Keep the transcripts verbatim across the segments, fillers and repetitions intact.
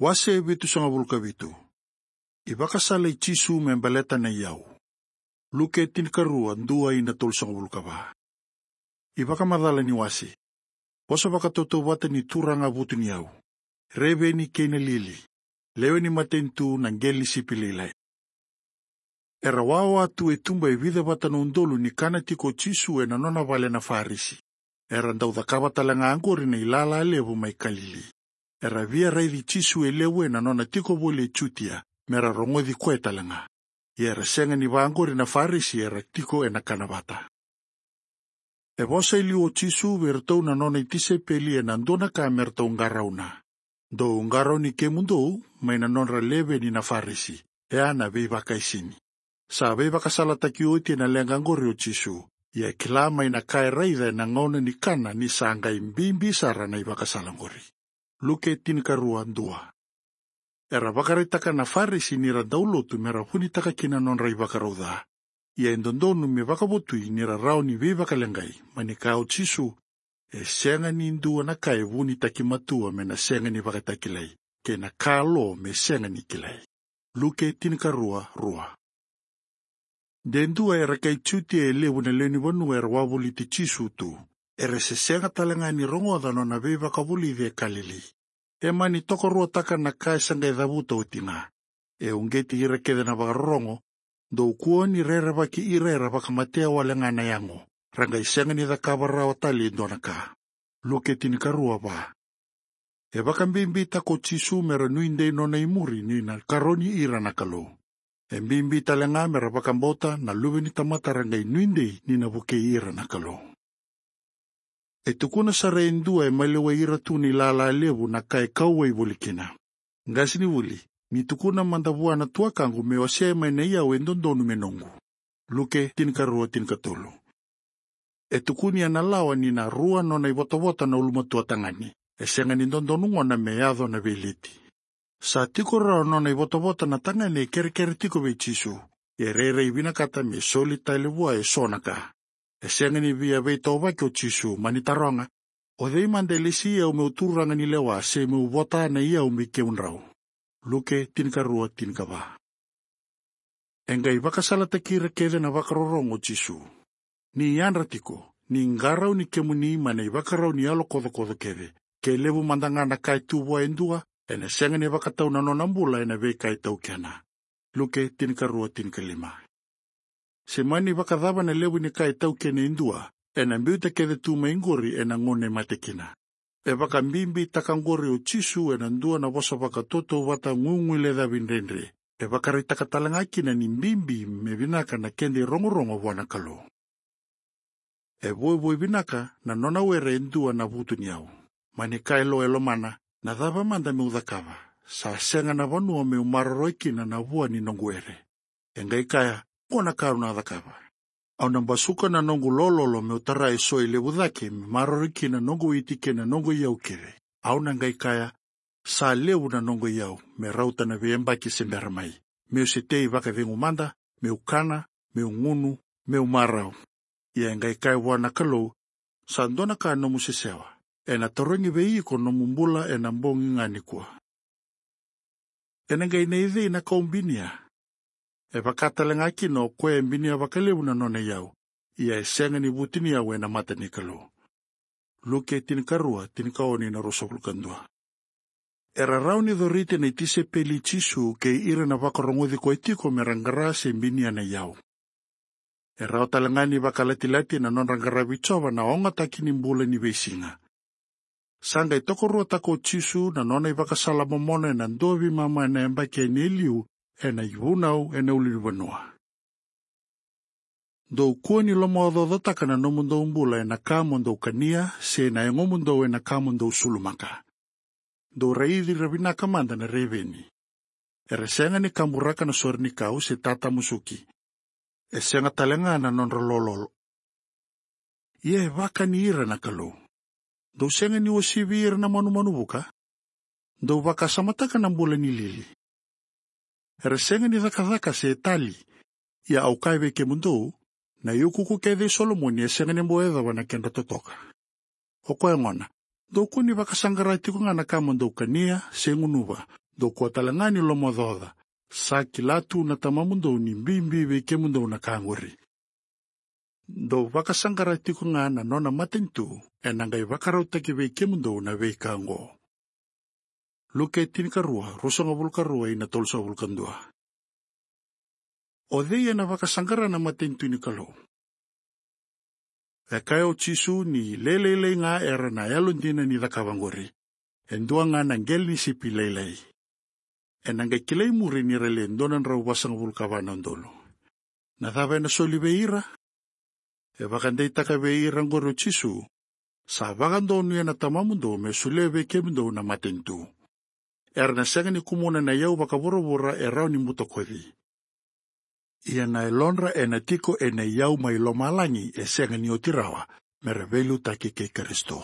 Wase vitusagavulu ka vitu. iVakasala i Jisu me baleta na iyau. Luke tinikarua, dua ina tolusagavulu ka va. iVakamacala ni wase. Vosa vakatautauvata ni Turaga vutuniyau. Reveni kei na lili. Lewe ni matanitu na qele ni sipi lailai. Era wawa tu e tuba e vica vata na udolu ni kana tiko o Jisu ena nona vale na Farisi. Era dau cakava tale ga oqori na ilala levu mai Kalili. Era via raici Jisu e levu ena nona tiko voli e Jutia, mera rogoci koya tale ga. Ia era sega ni vaqori na Farisi era tiko ena kana vata. E vosa e liu o Jisu vei iratou na nona itisepeli ena dua na ka me ratou qarauna. Dou qarauni kemudou mai na nodra leveni na Farisi, e a na veivakaisini. Sa veivakasalataki oti ena leqa oqori o Jisu, ia e kila mai na ka e raica ena gauna ni kana ni sa qai bibi sara na ivakasala oqori. Luke tinikarua, dua. Era vakaraitaka na Farisi ni ra dau lotu me ra vunitaka kina na nodra ivakarau ca. Ia e dodonu me vakavotui ni ra rawa ni veivakaleqai, mani kaya o Jisu, e sega ni dua na ka e vunitaki matua me na sega ni vakatakilai, kei na ka lo me sega ni kilai. Luke tinikarua, rua. De dua era kai Jutia e levu na lewe ni vanua era wavoliti Jisu tu. Era se sega tale ga ni rogoca na nona veivakavulici e Kalili. E mani tokaruataka na ka e sa qai cavuta oti ga. E uqeti ira kece na vakarorogo, dou kua ni rerevaki ira era vakamatea wale ga na yago, ra qai sega ni cakava rawa tale e dua na ka. Luke tinikarua, va. E vakabibitaka o Jisu mera nuidei nona imuri ni na karoni ira na Kalou. E bibi tale ga mera vakabauta na Luve ni tamata ra qai nuidei ni na vukei ira na Kalou. E tukuna sara e dua e maliwai ira tu na ilala levu na ka e kauwai voli kina. Qasenivuli, ni tukuna mada vua na tuakaqu me wasea mai na iyau e dodonu me noqu. Luke tinikarua, tinikatolu. E tukuni ena lawa ni na rua nona ivotavota na ulumatua tagane. E sega ni dodonu gona me yaco na veileti. Sa tiko rawa nona ivotavota na tagane e kerekere tiko vei Jisu. E rairai vinakata me soli tale vua e so na ka. E sega ni via veitauvaki o Jisu, mani taroga, o cei mada e lesi au meu turaga ni lewa se meu vota na iyau me kemudrau. Luke tinikarua, tinikava. E qai vakasalataki ira kece na vakarorogo o Jisu. Ni yadra tiko, ni qarauni kemuni mai na ivakarau ni yalo kocokoco kece. Ke levu mada ga na ka e tu vua e dua, ena sega ni vakatau na nona bula ena veika e taukena. Luke tinikarua, tinikalima. Se mani vakacava na levu ni ka e taukena e dua, ena biuta kece tu mai qori ena gauna e mate kina. E vakabibitaka qori o Jisu ena dua na vosa vakatautauvata guiguilecavi dredre. E vakaraitaka tale ga kina ni bibi me vinaka na keda irogorogo vua na Kalou. E voivoi vinaka na nona were e dua na vutuniyau. Mani kaya lo e lomana, na cava mada meu cakava? Sa sega na vanua meu maroroi kina na vua ni noqu were. E qai kaya, qo na ka au na cakava. Au na basuka na noqu lololo meu tara e so e levu cake me maroroi kina na noqu iti kei na noqu iyau kece. Au na qai kaya, sa levu na noqu iyau, me rauta na veiyabaki se bera mai. Meu se tei vakacegu mada, meu kana, meu gunu, meu marau. Ia e qai kaya vua na Kalou, sa dua na ka nomu sesewa. Ena tarogi vei iko nomu bula ena bogi ga nikua. Ena qai nei cei na kau binia? E vaka tale ga kina o koya e binia vakalevu na nona iyau. Ia e sega ni vutuniyau ena mata ni Kalou. Luke tinikarua, tinikaono ina ruasagavulu ka dua. Era rawa ni coriti na itisepeli i Jisu kei ira na vakarogoci koya tiko mera qara se binia na iyau. E rawa tale ga ni vakalatilati na nodra qaravi Jiova na ogataki ni bula ni veisiga. Sa qai tokaruataka o Jisu na nona ivakasala momona ena dua veimama ena yabaki e liu ena ivunau ena ulunivanua. Dou kua ni lomaocaocataka na nomudou bula ena ka mo dou kania, se na yagomudou ena ka mo dou sulumaka. Dou raici ira vinaka mada na reveni. Era sega ni kaburaka na sore ni kau se tatamusuki. E sega tale ga na nodra lololo. Ia e vakani ira na Kalou. Dou sega ni uasivi ira na manumanu vuka. Dou vakasamataka na bula ni lili. Era sega ni cakacaka se tali. Ia au kaya vei kemudou, na iukuuku kece i Solomoni e sega ni bau yacova na kedra totoka. O koya gona, dou kua ni vakasaqara tiko ga na ka mo dou kania se gunuva. Dou kua tale ga ni lomaocaoca. Sa kila tu na Tamamudou ni bibi vei kemudou na ka qori. Dou vakasaqara tiko ga na nona matanitu, ena qai vakarautaki vei kemudou na veika oqo. Luke tinikarua, ruasagavulu ka rua ina tolusagavulu ka dua. O cei ena vakasaqara na matanitu ni Kalou? E kaya o Jisu ni lailailai ga era na yalodina ni cakava qori. E dua ga na qele ni sipi lailai. Ena qai kilai muri ni ra le dua na drau vasagavulu ka va na udolu. Na cava ena soli vei ira? E vakadeitaka vei ira qori o Jisu. Sa vakadonuya na Tamamudou me solia vei kemudou na matanitu. Era na sega ni kumuna na iyau vakavuravura e rawa ni butakoci. Ia na yalodra ena tiko ena iyau mai lomalagi e sega ni oti rawa, mera veiliutaki kei Karisito.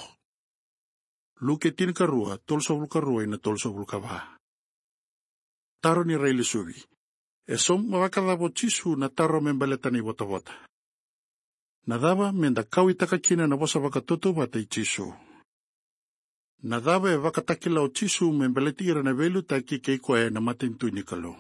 Luke tinikarua, tolusagavulu ka rua ina tolusagavulu ka va. Taro ni railesuvi. E sauma vakacava o Jisu na taro me baleta na ivotavota? Na cava meda kauaitaka kina na vosa vakatautauvata i Jisu? Na cava e vakatakila o Jisu me baleti ira na veiliutaki kei koya ena matanitu ni Kalou?